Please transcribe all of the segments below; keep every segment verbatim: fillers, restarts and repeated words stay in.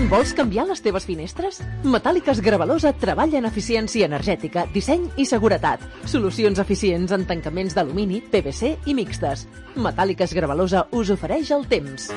Vols canviar les teves finestres? Metàl·liques Gravalosa treballa en eficiència energètica, disseny i seguretat. Solucions eficients en tancaments d'alumini, P V C i mixtes. Metàl·liques Gravalosa us ofereix el temps.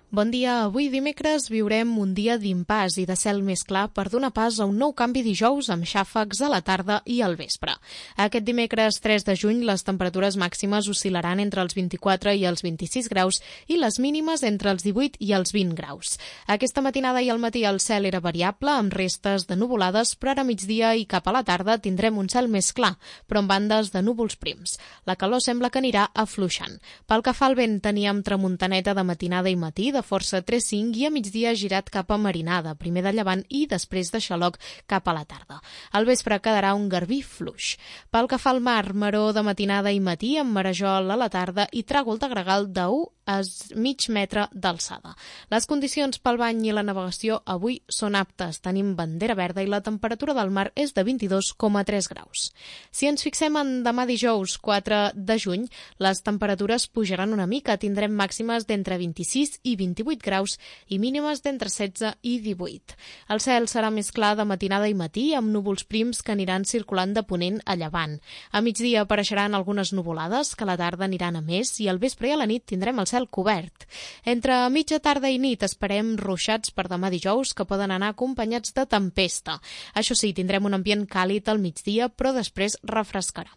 Bon dia. Avui dimecres viurem un dia d'impàs i de cel més clar per donar pas a un nou canvi dijous amb xàfecs a la tarda i al vespre. Aquest dimecres tres de juny les temperatures màximes oscil·laran entre els vint-i-quatre i els vint-i-sis graus i les mínimes entre els divuit i els vint graus. Aquesta matinada i al matí el cel era variable amb restes de nuvolades, però ara a migdia i cap a la tarda tindrem un cel més clar, però amb bandes de núvols prims. La calor sembla que anirà afluixant. Pel que fa al vent, teníem tramuntaneta de matinada i matí, de força tres cinc i a migdia girat cap a marinada, primer de llevant i després de xaloc cap a la tarda. Al vespre quedarà un garbí fluix. Pel que fa al mar, maró de matinada i matí amb marejol a la tarda i tràgol de gregal d'u a mig metre d'alçada. Les condicions pel bany i la navegació avui són aptes. Tenim bandera verda i la temperatura del mar és de vint-i-dos coma tres graus. Si ens fixem en demà dijous quatre de juny, les temperatures pujaran una mica. Tindrem màximes d'entre vint-i-sis i vint-i-vuit graus i mínimes d'entre setze i divuit. El cel serà més clar de matinada i matí amb núvols prims que aniran circulant de ponent a llevant. A migdia apareixeran algunes nuvolades que a la tarda aniran a més i al vespre i a la nit tindrem el cel cobert. Entre mitja tarda i nit esperem ruixats per demà dijous que poden anar acompanyats de tempesta. Això sí, tindrem un ambient càlid al migdia, però després refrescarà.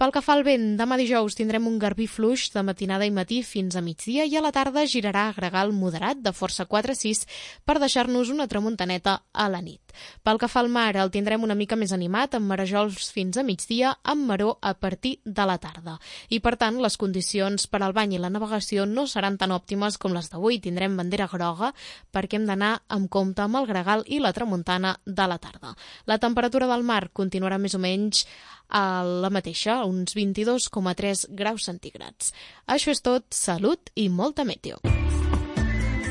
Pel que fa al vent, demà dijous tindrem un garbí fluix de matinada i matí fins a migdia i a la tarda girarà a gregal moderat de força quatre sis per deixar-nos una tramuntaneta a la nit. Pel que fa al mar, el tindrem una mica més animat amb marejols fins a migdia amb maró a partir de la tarda. I per tant, les condicions per al bany i la navegació no seran tan òptimes com les d'avui. Tindrem bandera groga perquè hem d'anar amb compte amb el gregal i la tramuntana de la tarda. La temperatura del mar continuarà més o menys a la mateixa, uns vint-i-dos coma tres graus centígrads. Això és tot, salut i molta meteo.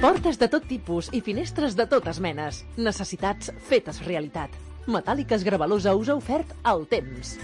Portes de tot tipus i finestres de totes menes. Necessitats fetes realitat. Metàl·liques Gravalosa us ha ofert el temps.